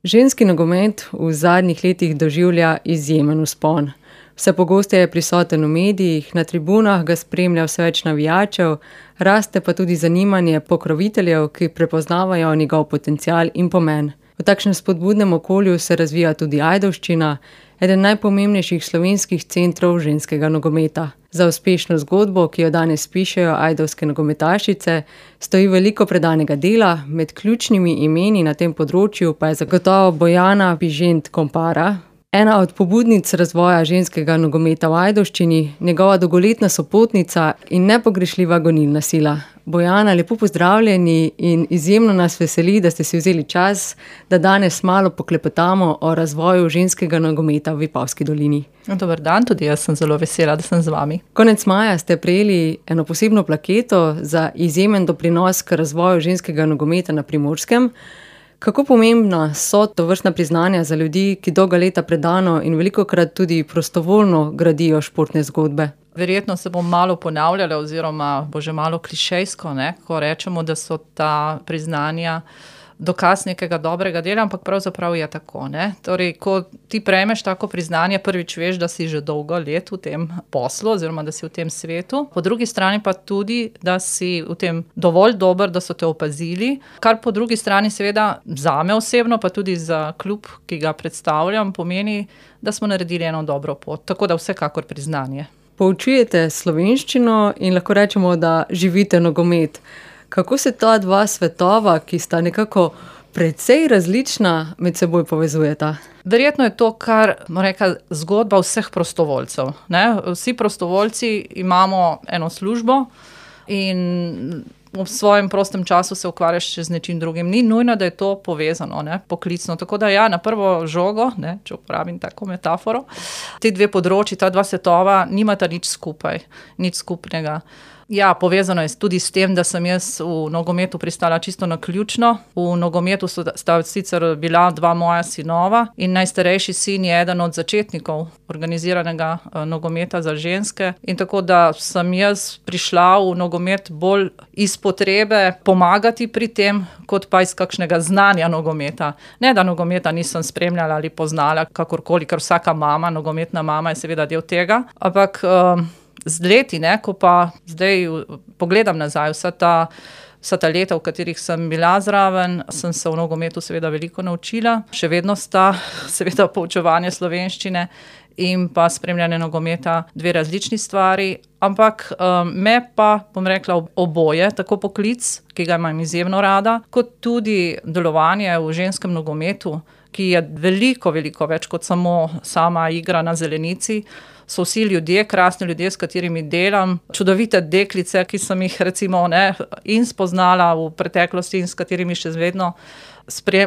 Ženski nogomet v zadnjih letih doživlja izjemen vzpon. Vse pogosteje je prisoten v medijih, na tribunah ga spremlja vse več navijačev, raste pa tudi zanimanje pokroviteljev, ki prepoznavajo njegov potencial in pomen. V takšnem spodbudnem okolju se razvija tudi Ajdovščina, eden najpomembnejših slovenskih centrov ženskega nogometa. Za uspešno zgodbo, ki jo danes pišejo ajdovske nogometašice, stoji veliko predanega dela, med ključnimi imeni na tem področju pa je zagotovo Bojana Bižent Kompara, ena od pobudnic razvoja ženskega nogometa v Ajdovščini, njegova dolgoletna sopotnica in nepogrešljiva gonilna sila. Bojana, lepo pozdravljeni in izjemno nas veseli, da ste si vzeli čas, da danes malo poklepetamo o razvoju ženskega nogometa v Vipavski dolini. Dober dan, tudi jaz sem zelo vesela, da sem z vami. Konec maja ste prejeli eno posebno plaketo za izjemen doprinos k razvoju ženskega nogometa na Primorskem. Kako pomembna so tovrstna priznanja za ljudi, ki dolga leta predano in velikokrat tudi prostovoljno gradijo športne zgodbe? Verjetno se bom malo ponavljala oziroma bo že malo klišejsko, ko rečemo, da so ta priznanja dokaz nekega dobrega dela, ampak pravzaprav je tako. Torej, ko ti prejmeš tako priznanje, prvič veš, da si že dolgo let v tem poslu oziroma da si v tem svetu. Po drugi strani pa tudi, da si v tem dovolj dober, da so te opazili, kar po drugi strani seveda zame osebno, pa tudi za klub, ki ga predstavljam, pomeni, da smo naredili eno dobro pot. Tako da vsekakor priznanje. Poučujete slovenščino in lahko rečemo, da živite nogomet. Kako se ta dva svetova, ki sta nekako precej različna, med seboj povezujeta? Verjetno je to, kar zgodba vseh prostovoljcev. Vsi prostovoljci imamo eno službo in v svojem prostem času se ukvarjaš še z nečim drugim. Ni nujno, da je to povezano, poklicno. Tako da na prvo žogo, če uporabim tako metaforo, ti dve področji, ta dva svetova nimata nič skupaj, nič skupnega. Ja, povezano je tudi s tem, da sem jaz v nogometu pristala čisto naključno. V nogometu sta sicer bila dva moja sinova in najstarejši sin je eden od začetnikov organiziranega nogometa za ženske. In tako da sem jaz prišla v nogomet bolj iz potrebe pomagati pri tem, kot pa iz kakšnega znanja nogometa. Ne, da nogometa nisem spremljala ali poznala kakorkoli, ker vsaka mama, nogometna mama je seveda del tega, ampak z leti, ko pa zdaj pogledam nazaj vsa ta leta, v katerih sem bila zraven, sem se v nogometu seveda veliko naučila. Še vedno sta seveda poučevanje slovenščine in pa spremljanje nogometa dve različni stvari, ampak me pa, bom rekla, oboje, tako poklic, ki ga imam izjemno rada, kot tudi delovanje v ženskem nogometu, ki je veliko, veliko več kot samo sama igra na zelenici. So vsi ljudje, krasni ljudje, s katerimi delam, čudovite deklice, ki sem jih recimo in spoznala v preteklosti in s katerimi še vedno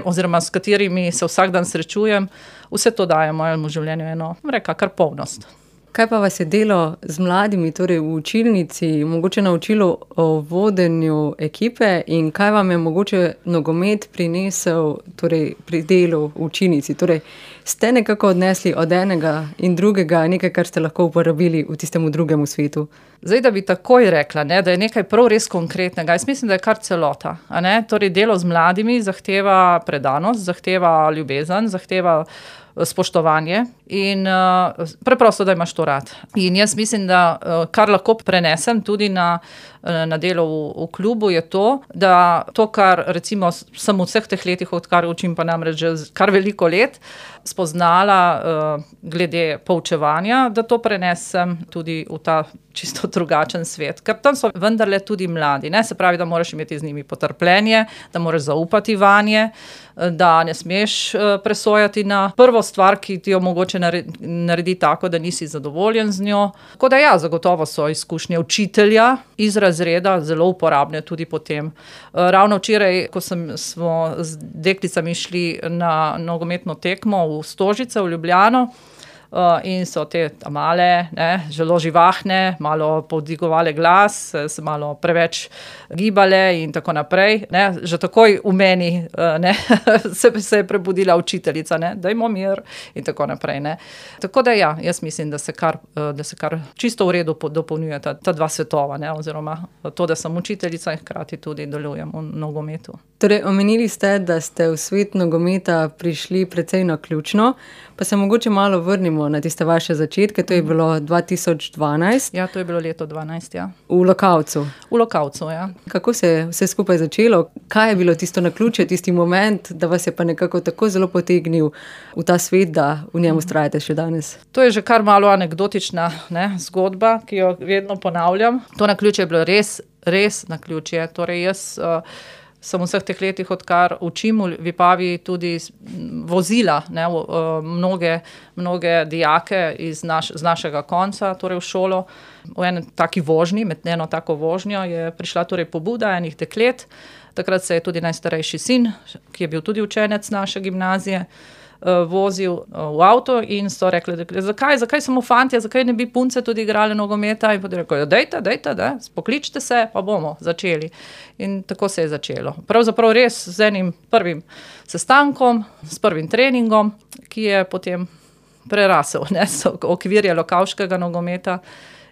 oziroma s katerimi se vsak dan srečujem. Vse to daje mojemu življenju eno, kar polnost. Kaj pa vas je delo z mladimi, torej v učilnici, mogoče naučilo o vodenju ekipe in kaj vam je mogoče nogomet prinesel pri delu v učilnici? Torej, ste nekako odnesli od enega in drugega nekaj, kar ste lahko uporabili v tistem drugem svetu? Zdaj, da bi takoj rekla, da je nekaj prav res konkretnega. Jaz mislim, da je kar celota. Torej, delo z mladimi zahteva predanost, zahteva ljubezen, zahteva spoštovanje in preprosto, da imaš to rad. In jaz mislim, da kar lahko prenesem tudi na delo v klubu, je to, da to, kar recimo sem v vseh teh letih, odkar učim pa namreč že kar veliko let, spoznala glede poučevanja, da to prenesem tudi v ta čisto drugačen svet. Ker tam so vendarle tudi mladi. Se pravi, da moraš imeti z njimi potrpljenje, da moraš zaupati vanje, da ne smeš presojati na prvo stvar, ki ti jo mogoče naredi tako, da nisi zadovoljen z njo. Tako da zagotovo so izkušnje učitelja iz razreda zelo uporabne tudi potem. Ravno včeraj, ko smo z deklicami šli na nogometno tekmo v Stožice, v Ljubljano, in so te male, zelo živahne, malo povdigovale glas, se malo preveč gibale in tako naprej. Že takoj v meni se je prebudila učiteljica, dajmo mir in tako naprej. Tako da ja, jaz mislim, da se kar čisto v redu dopolnjujeta ta dva svetova, oziroma to, da sem učiteljica in hkrati tudi delujem v nogometu. Torej, omenili ste, da ste v svet nogometa prišli precej naključno, pa se mogoče malo vrnimo na tiste vaše začetke, to je bilo 2012. Ja, to je bilo leto 2012, ja. V Lokavcu. V Lokavcu, ja. Kako se je vse skupaj začelo? Kaj je bilo tisto naključje, tisti moment, da vas je pa nekako tako zelo potegnil v ta svet, da v njem vztrajate še danes? To je že kar malo anekdotična zgodba, ki jo vedno ponavljam. To naključje je bilo res naključje. Torej jaz sem v vseh teh letih, odkar učim v Vipavi, tudi vozila mnoge dijake z našega konca, torej v šolo. V eni taki vožnji, med eno tako vožnjo je prišla torej pobuda enih deklet. Takrat se je tudi najstarejši sin, ki je bil tudi učenec naše gimnazije, vozil v avto in so rekli, zakaj samo fantje, zakaj ne bi punce tudi igrali nogometa, in potem rekel, dejte, pokličite se, pa bomo začeli. In tako se je začelo. Pravzaprav res z enim prvim sestankom, s prvim treningom, ki je potem prerasel okvirje lokavškega nogometa,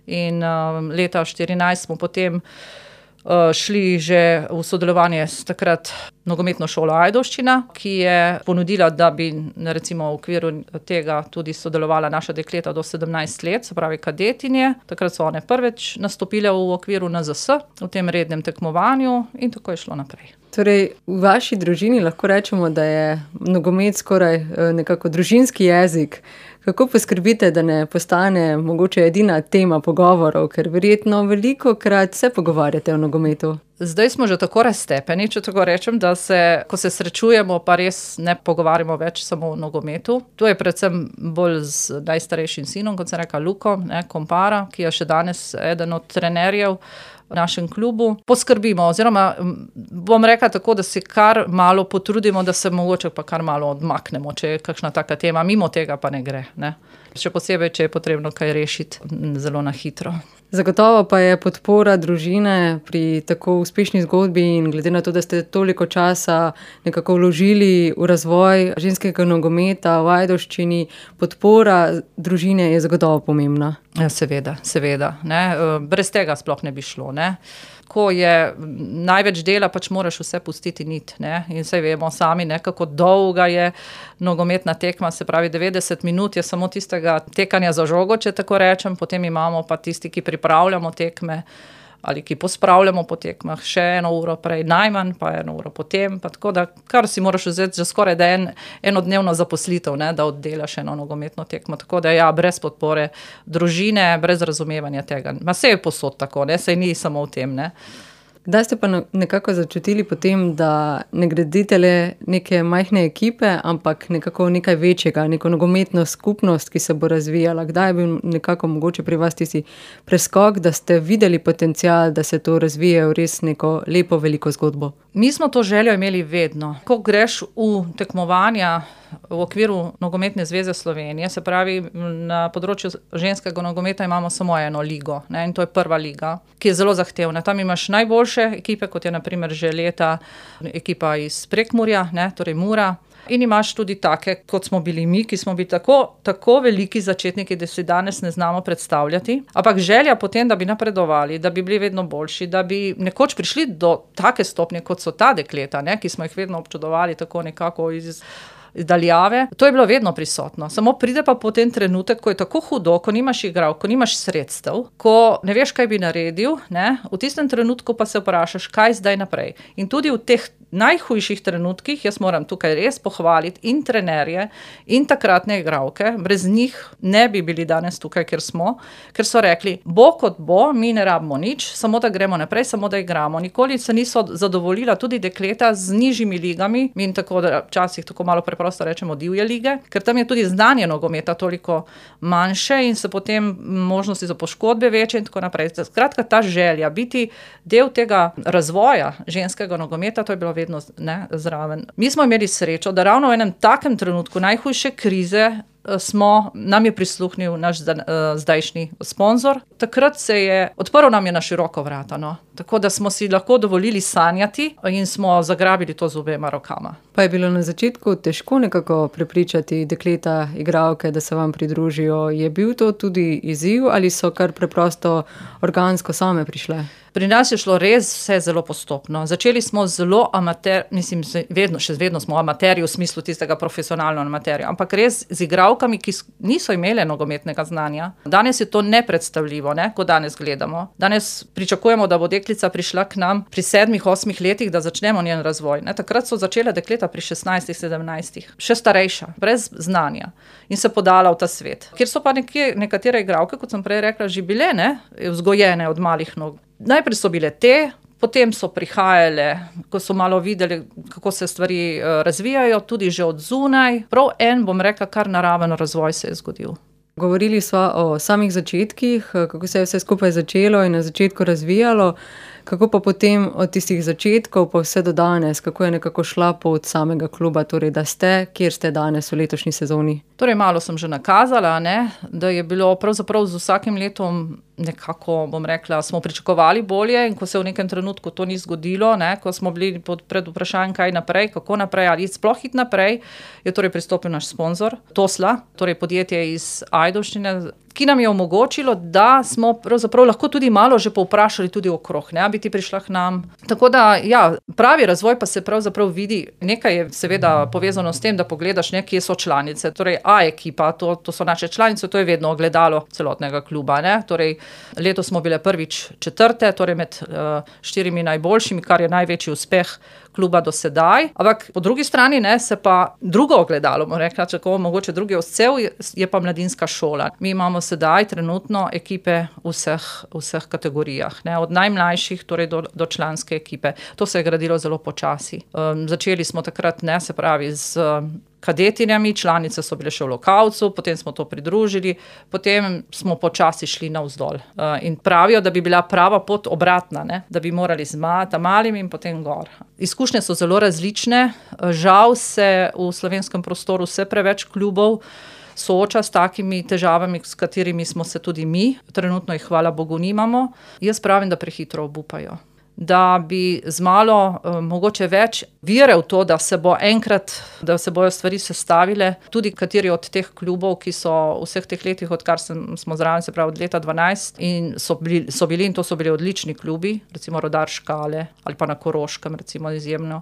in leta 2014 smo potem šli že v sodelovanje s takrat nogometno šolo Ajdovščina, ki je ponudila, da bi recimo v okviru tega tudi sodelovala naša dekleta do 17 let, se pravi kadetinje. Takrat so one prvič nastopile v okviru NZS, v tem rednem tekmovanju, in tako je šlo naprej. Torej, v vaši družini lahko rečemo, da je nogomet skoraj nekako družinski jezik. Kako poskrbite, da ne postane mogoče edina tema pogovorov, ker verjetno velikokrat se pogovarjate o nogometu? Zdaj smo že tako raztepeni, če tako rečem, da ko se srečujemo, pa res ne pogovarjamo več samo o nogometu. To je predvsem bolj z najstarejšim sinom, kot sem rekla, Lukom, Kompara, ki je še danes eden od trenerjev v našem klubu. Poskrbimo, oziroma bom rekla tako, da se kar malo potrudimo, da se mogoče pa kar malo odmaknemo, če je kakšna taka tema, mimo tega pa ne gre. Še posebej, če je potrebno kaj rešiti zelo na hitro. Zagotovo pa je podpora družine pri tako uspešni zgodbi in glede na to, da ste toliko časa nekako vložili v razvoj ženskega nogometa v Ajdovščini, podpora družine je zagotovo pomembna. Ja, seveda. Brez tega sploh ne bi šlo. Ko je največ dela, pač moraš vse pustiti nit. In saj vemo sami, kako dolga je nogometna tekma, se pravi 90 minut je samo tistega tekanja za žogo, če tako rečem, potem imamo pa tisti, ki pripravljamo tekme ali ki pospravljamo po tekmah še 1 uro prej, najmanj pa 1 uro potem, pa tako da kar si moraš vzeti že skoraj da enodnevno zaposlitev, da oddelaš eno nogometno tekmo, tako da ja, brez podpore družine, brez razumevanja tega. Saj je posod tako, saj ni samo v tem, Kdaj ste pa nekako začutili potem, da ne gradite le neke majhne ekipe, ampak nekako nekaj večjega, neko nogometno skupnost, ki se bo razvijala? Kdaj je bil nekako mogoče pri vas tisti preskok, da ste videli potencial, da se to razvije v res neko lepo, veliko zgodbo? Mi smo to željo imeli vedno. Ko greš v tekmovanja v okviru Nogometne zveze Slovenije, se pravi, na področju ženskega nogometa imamo samo eno ligo, in to je prva liga, ki je zelo zahtevna. Tam imaš najboljše ekipe, kot je na primer že leta ekipa iz Prekmurja, torej Mura. In imaš tudi take, kot smo bili mi, ki smo bili tako veliki začetniki, da si danes ne znamo predstavljati. Ampak želja potem, da bi napredovali, da bi bili vedno boljši, da bi nekoč prišli do take stopnje, kot so ta dekleta, ki smo jih vedno občudovali tako nekako iz daljave. To je bilo vedno prisotno. Samo pride pa potem trenutek, ko je tako hudo, ko nimaš igral, ko nimaš sredstev, ko ne veš, kaj bi naredil, v tistem trenutku pa se vprašaš, kaj zdaj naprej. In tudi v teh najhujših trenutkih, jaz moram tukaj res pohvaliti in trenerje in takratne igralke, brez njih ne bi bili danes tukaj, kjer smo, ker so rekli, bo kot bo, mi ne rabimo nič, samo da gremo naprej, samo da igramo. Nikoli se niso zadovoljila tudi dekleta z nižjimi ligami in tako, da včasih tako malo preprosto rečemo divje lige, ker tam je tudi znanje nogometa toliko manjše in se potem možnosti za poškodbe večje in tako naprej. Skratka, ta želja biti del tega razvoja ženskega nogometa, to je bilo vedno zraven. Mi smo imeli srečo, da ravno v enem takem trenutku najhujše krize nam je prisluhnil naš zdajšnji sponzor. Takrat odprl nam je na široko vrata, no. Tako da smo si lahko dovolili sanjati in smo zagrabili to z obema rokama. Pa je bilo na začetku težko nekako prepričati dekleta, igralke, da se vam pridružijo. Je bil to tudi izziv ali so kar preprosto organsko same prišle? Pri nas je šlo res vse zelo postopno. Začeli smo zelo še vedno smo amaterji v smislu tistega profesionalno amaterja, ampak res z igralkami, ki niso imele nogometnega znanja. Danes je to nepredstavljivo, ne, ko danes gledamo. Danes pričakujemo, da bo deklica prišla k nam pri 7-8 letih, da začnemo njen razvoj. Ne, takrat so začela dekleta pri 16-17, še starejša, brez znanja in se podala v ta svet. Kjer so pa nekatere igralke, kot sem prej rekla, že bile, ne, vzgojene od malih nog. Najprej so bile potem so prihajale, ko so malo videli, kako se stvari razvijajo, tudi že od zunaj. Prav bom rekla, kar naraven razvoj se je zgodil. Govorili sva o samih začetkih, kako se je vse skupaj začelo in na začetku razvijalo, kako pa potem od tistih začetkov pa vse do danes, kako je nekako šla pot samega kluba, torej da ste, kjer ste danes v letošnji sezoni? Torej malo sem že nakazala, ne, da je bilo pravzaprav z vsakim letom nekako, bom rekla, smo pričakovali bolje in ko se v nekem trenutku to ni zgodilo, ne, ko smo bili pred vprašanjem, kaj naprej, kako naprej ali sploh iti naprej, je torej pristopil naš sponzor Tosla, torej podjetje iz Ajdovščine, ki nam je omogočilo, da smo pravzaprav lahko tudi malo že povprašali tudi okrog, ne, bi ti prišla k nam. Tako da, ja, pravi razvoj pa se pravzaprav vidi. Nekaj je seveda povezano s tem, da pogledaš, ne, kje so članice, torej A ekipa, to so naše članice, to je vedno ogledalo celotnega kluba, ne, torej letos smo bile prvič 4., torej med 4 najboljšimi, kar je največji uspeh kluba do sedaj. Ampak po drugi strani, ne, se pa drugo ogledalo, bomo rekla, čako mogoče drugi odsev, je pa mladinska šola. Mi imamo sedaj trenutno ekipe v vseh kategorijah, ne, od najmlajših torej do članske ekipe. To se je gradilo zelo počasi. Začeli smo takrat, ne, se pravi z kadetinjami, članice so bile še v Lokavcu, potem smo to pridružili, potem smo počasi šli navzdol. In pravijo, da bi bila prava pot obratna, ne? Da bi morali z malim in potem gor. Izkušnje so zelo različne, žal se v slovenskem prostoru vse preveč klubov sooča s takimi težavami, s katerimi smo se tudi mi, trenutno jih hvala Bogu nimamo. Jaz pravim, da prehitro obupajo. Da bi z malo, mogoče več vere v to, da se bojo stvari sestavile, tudi kateri od teh klubov, ki so vseh teh letih, odkar smo zraven, se pravi od leta 12, in so bili odlični klubi, recimo Rudar Škale ali pa na Koroškem, recimo izjemno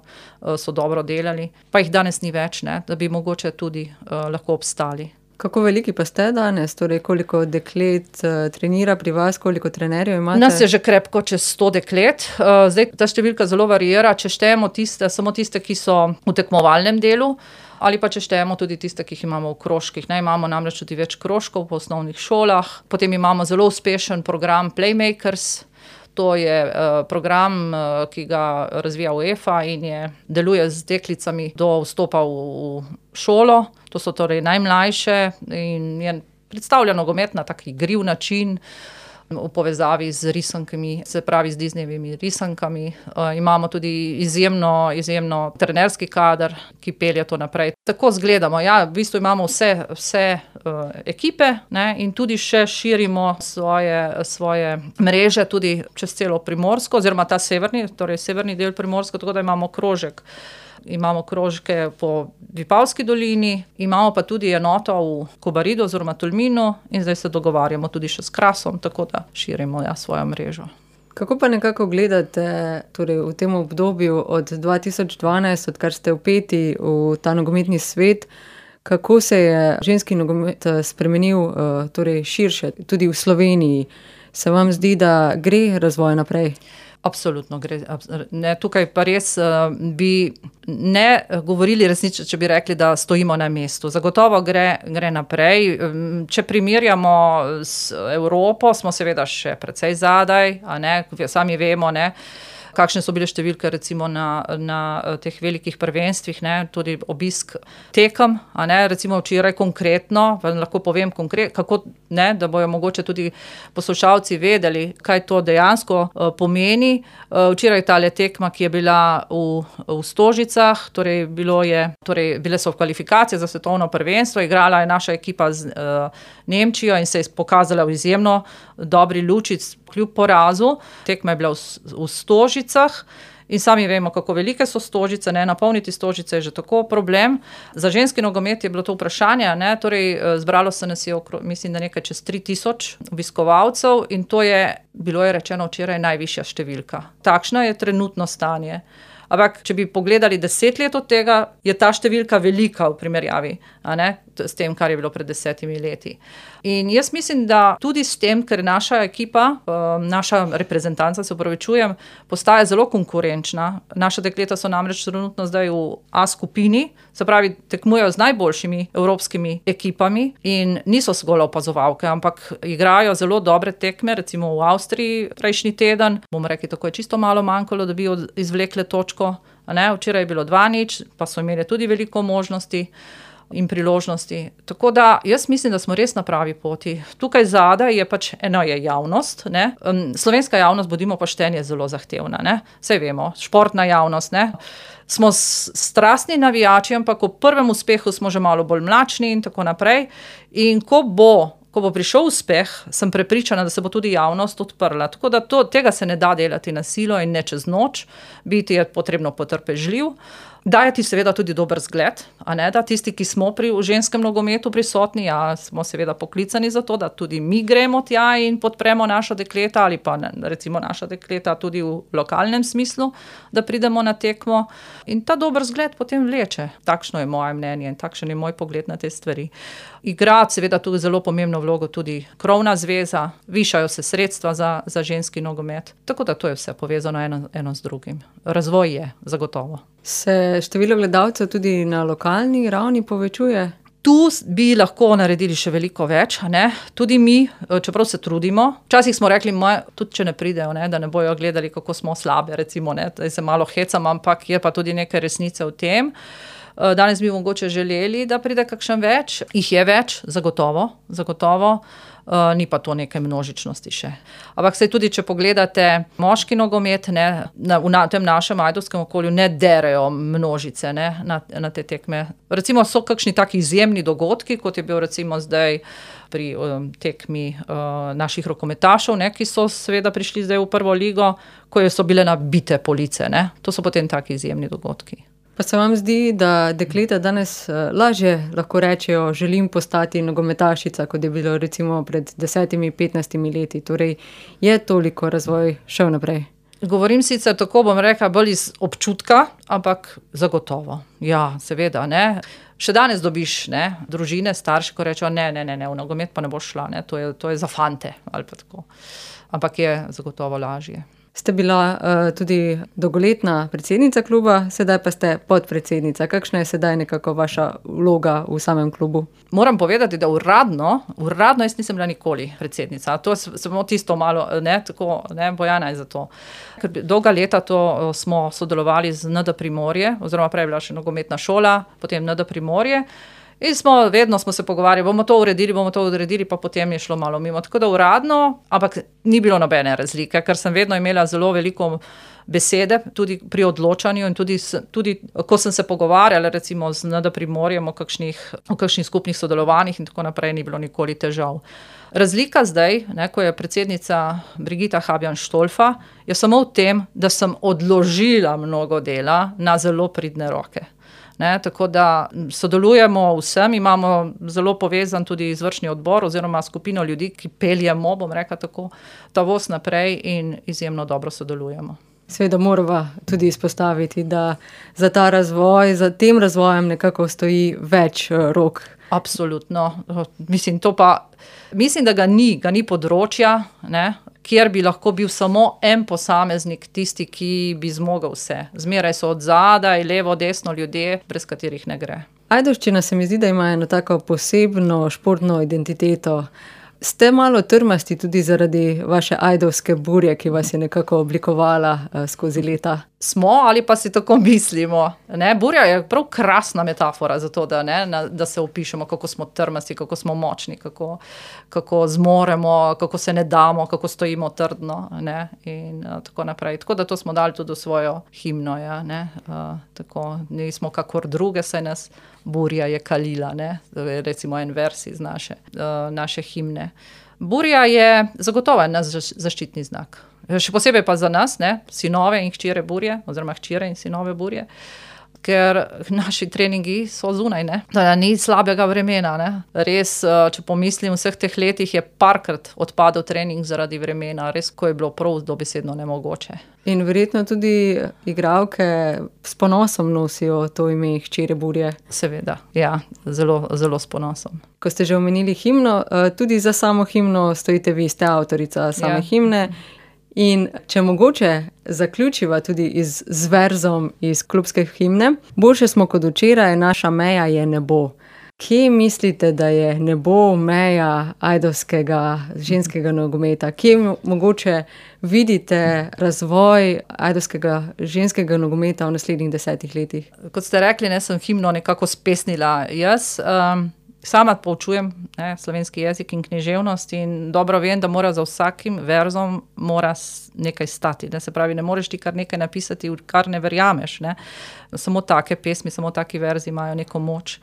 so dobro delali, pa jih danes ni več, ne, da bi mogoče tudi lahko obstali. Kako veliki pa ste danes? Torej, koliko deklet trenira pri vas, koliko trenerjev imate? Nas je že krepko čez 100 deklet. Zdaj ta številka zelo variira, če štejemo samo tiste, ki so v tekmovalnem delu, ali pa če štejemo tudi tiste, ki jih imamo v krožkih. Ne, imamo namreč tudi več krožkov po osnovnih šolah. Potem imamo zelo uspešen program Playmakers. To je program, ki ga razvija UEFA in deluje z deklicami do vstopa v šolo. To so torej najmlajše in je predstavlja nogomet na tak igriv način v povezavi z risankami, se pravi z Disneyjevimi risankami. Imamo tudi izjemno trenerski kader, ki pelje to naprej. Tako zgledamo, ja, v bistvu imamo vse ekipe, ne, in tudi še širimo svoje mreže tudi čez celo Primorsko, oziroma ta severni del Primorsko, tako da imamo krožek. Imamo krožke po Vipavski dolini, imamo pa tudi enoto v Kobaridu oziroma Tolminu in zdaj se dogovarjamo tudi še s Krasom, tako da širimo svojo mrežo. Kako pa nekako gledate torej v tem obdobju od 2012, odkar ste vpeti v ta nogometni svet, kako se je ženski nogomet spremenil torej širše, tudi v Sloveniji? Se vam zdi, da gre razvoj naprej? Absolutno gre. Ne, tukaj pa res bi ne govorili resnično, če bi rekli, da stojimo na mestu. Zagotovo gre naprej. Če primerjamo s Evropo, smo seveda še precej zadaj, a ne, sami vemo, ne. kakšne so bile številke recimo na teh velikih prvenstvih, ne, tudi obisk tekem, a ne, recimo včeraj konkretno, lahko povem kako, ne, da bojo mogoče tudi poslušalci vedeli, kaj to dejansko pomeni. Včeraj tale tekma, ki je bila v Stožicah, bile so v kvalifikacije za svetovno prvenstvo, igrala je naša ekipa z Nemčijo in se je pokazala v izjemno dobri luči kljub porazu. Tekma je bila v Stožicah in sami vemo, kako velike so Stožice, ne, napolniti Stožice je že tako problem. Za ženski nogomet je bilo to vprašanje, ne, zbralo se nas je mislim, da nekaj čez 3000 obiskovalcev in bilo je rečeno včeraj najvišja številka. Takšno je trenutno stanje. Ampak, če bi pogledali 10 let od tega, je ta številka velika v primerjavi, a ne, s tem, kar je bilo pred 10 leti. In jaz mislim, da tudi s tem, ker naša ekipa, naša reprezentanca, se opravičujem, postaja zelo konkurenčna. Naša dekleta so namreč trenutno zdaj v A skupini, se pravi, tekmujejo z najboljšimi evropskimi ekipami in niso zgolj opazovalke, ampak igrajo zelo dobre tekme, recimo v Avstriji prejšnji teden. Bomo rekli, tako je čisto malo manjkalo, da bi izvlekle točko. Včeraj je bilo 2-0, pa so imeli tudi veliko možnosti in priložnosti. Tako da jaz mislim, da smo res na pravi poti. Tukaj zadaj je eno je javnost, ne. Slovenska javnost, bodimo pošteni, je zelo zahtevna, ne. Saj vemo, športna javnost, ne. Smo strastni navijači, ampak v prvem uspehu smo že malo bolj mlačni in tako naprej. In ko bo prišel uspeh, sem prepričana, da se bo tudi javnost odprla. Tako da tega se ne da delati na silo in ne čez noč. Biti je potrebno potrpežljiv. Dajati seveda tudi dober zgled, a ne, da tisti, ki smo v ženskem nogometu prisotni, smo seveda poklicani za to, da tudi mi gremo tja in podpremo naša dekleta ali pa recimo naša dekleta tudi v lokalnem smislu, da pridemo na tekmo. In ta dober zgled potem vleče. Takšno je moje mnenje in takšen je moj pogled na te stvari. Igra seveda tudi zelo pomembno vlogo tudi krovna zveza, višajo se sredstva za ženski nogomet. Tako da to je vse povezano eno z drugim. Razvoj je zagotovo. Se število gledalcev tudi na lokalni ravni povečuje? Tu bi lahko naredili še veliko več, ne? Tudi mi, čeprav se trudimo. Včasih smo rekli, tudi če ne pridejo, ne, da ne bojo gledali, kako smo slabe, recimo, ne, da se malo hecam, ampak je pa tudi nekaj resnice v tem. Danes bi mogoče želeli, da pride kakšen več. Jih je več, zagotovo. Ni pa to nekaj množičnosti še. Ampak saj tudi, če pogledate moški nogomet, ne, v tem našem ajdovskem okolju ne derejo množice, ne, na te tekme. Recimo so kakšni taki izjemni dogodki, kot je bil recimo zdaj pri tekmi naših rokometašev, ne, ki so seveda prišli zdaj v prvo ligo, ko so bile nabite police, ne. To so potem taki izjemni dogodki. Pa se vam zdi, da dekleta danes lažje lahko rečejo, želim postati nogometašica, kot je bilo recimo pred 10-15 leti? Torej, je toliko razvoj šel naprej? Govorim sicer tako, bom rekla, bolj iz občutka, ampak zagotovo. Ja, seveda, ne. Še danes dobiš, ne, družine, starši, ko rečejo, ne, v nogomet pa ne boš šla, ne, to je za fante, ali pa tako. Ampak je zagotovo lažje. Ste bila tudi dolgoletna predsednica kluba, sedaj pa ste podpredsednica. Kakšna je sedaj nekako vaša vloga v samem klubu? Moram povedati, da uradno jaz nisem bila nikoli predsednica. To je samo tisto malo, ne, tako, ne, Bojana je za to. Ker dolga leta to smo sodelovali z ND Primorje, oziroma prej je bila še nogometna šola, potem ND Primorje. In vedno smo se pogovarjali, bomo to uredili, pa potem je šlo malo mimo. Tako da uradno, ampak ni bilo nobene razlike, ker sem vedno imela zelo veliko besede, tudi pri odločanju in tudi ko sem se pogovarjala recimo z ND Primorjem o kakšnih skupnih sodelovanjih in tako naprej, ni bilo nikoli težav. Razlika zdaj, ne, ko je predsednica Brigita Habjan-Štolfa, je samo v tem, da sem odložila mnogo dela na zelo pridne roke. Ne, tako da sodelujemo vsem, imamo zelo povezan tudi izvršni odbor oziroma skupino ljudi, ki peljemo, bom rekla tako, ta voz naprej in izjemno dobro sodelujemo. Seveda morava tudi izpostaviti, da za ta razvoj, za tem razvojem nekako stoji več rok. Absolutno. Mislim da ga ni področja, ne, kjer bi lahko bil samo en posameznik tisti, ki bi zmogel vse. Zmeraj so od zadaj, levo, desno ljudje, brez katerih ne gre. Ajdovščina se mi zdi, da ima eno tako posebno športno identiteto. Ste malo trmasti tudi zaradi vaše ajdovske burje, ki vas je nekako oblikovala skozi leta? Smo ali pa si tako mislimo. Ne? Burja je prav krasna metafora za to, da se opišemo, kako smo trmasti, kako smo močni, kako zmoremo, kako se ne damo, kako stojimo trdno, ne? In tako naprej. Tako da to smo dali tudi v svojo himno. Ja, ne? Tako, nismo kakor druge, saj nas burja je kalila. Ne? Recimo en vers iz naše himne. Burja je zagotovo naš zaščitni znak. Še posebej pa za nas, ne, sinove in hčere burje, oziroma hčere in sinove burje, ker naši treningi so zunaj, ne. Ni slabega vremena, ne. Res, če pomislim, v vseh teh letih je parkrat odpadel trening zaradi vremena, res, ko je bilo prav dobesedno nemogoče. In verjetno tudi igralke s ponosom nosijo to ime hčere burje. Seveda, ja, zelo, zelo s ponosom. Ko ste že omenili himno, tudi za samo himno stojite vi, ste avtorica same himne. In če mogoče zaključiva tudi z verzom iz klubske himne, boljše smo kot včeraj, naša meja je nebo. Kje mislite, da je nebo meja ajdovskega ženskega nogometa? Kje mogoče vidite razvoj ajdovskega ženskega nogometa v naslednjih 10 letih? Kot ste rekli, sem himno nekako spesnila jaz. Sama poučujem slovenski jezik in književnost in dobro vem, da mora za vsakim verzom nekaj stati. Se pravi, ne moreš ti kar nekaj napisati, v kar ne verjameš. Ne? Samo take pesmi, samo taki verzi imajo neko moč.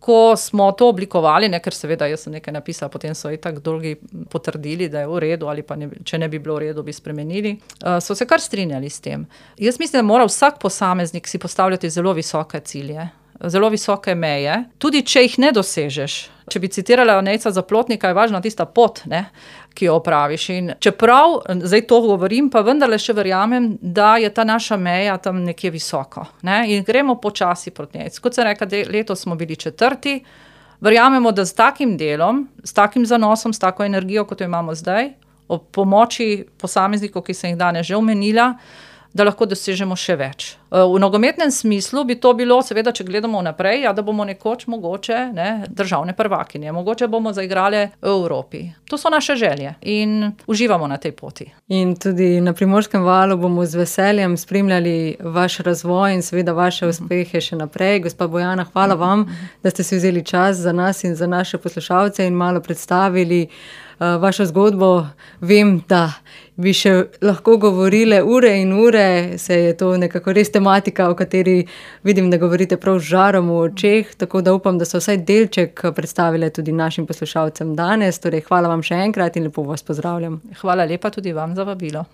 Ko smo to oblikovali, ker seveda jaz sem nekaj napisala, potem so itak drugi potrdili, da je v redu, ali pa če ne bi bilo v redu, bi spremenili, so se kar strinjali s tem. Jaz mislim, da mora vsak posameznik si postavljati zelo visoke cilje, zelo visoke meje, tudi če jih ne dosežeš. Če bi citirala Nejca Zaplotnika, je važna tista pot, ne, ki jo opraviš. In čeprav, zdaj to govorim, pa vendarle še verjamem, da je ta naša meja tam nekje visoko. Ne, in gremo počasi proti njej. Kot sem rekla, letos smo bili 4. Verjamemo, da s takim delom, s takim zanosom, s tako energijo, kot jo imamo zdaj, ob pomoči posameznikov, ki sem jih danes že omenila, da lahko dosežemo še več. V nogometnem smislu bi to bilo, seveda, če gledamo naprej, da bomo nekoč mogoče državne prvakinje, mogoče bomo zaigrali v Evropi. To so naše želje in uživamo na tej poti. In tudi na Primorskem valu bomo z veseljem spremljali vaš razvoj in seveda vaše uspehe še naprej. Gospa Bojana, hvala vam, da ste si vzeli čas za nas in za naše poslušalce in malo predstavili vašo zgodbo. Vem, da bi še lahko govorile ure in ure, se je to nekako res tematika, o kateri vidim, da govorite prav z žarom v očeh, tako da upam, da so vsaj delček predstavile tudi našim poslušalcem danes. Torej, hvala vam še enkrat in lepo vas pozdravljam. Hvala lepa tudi vam za vabilo.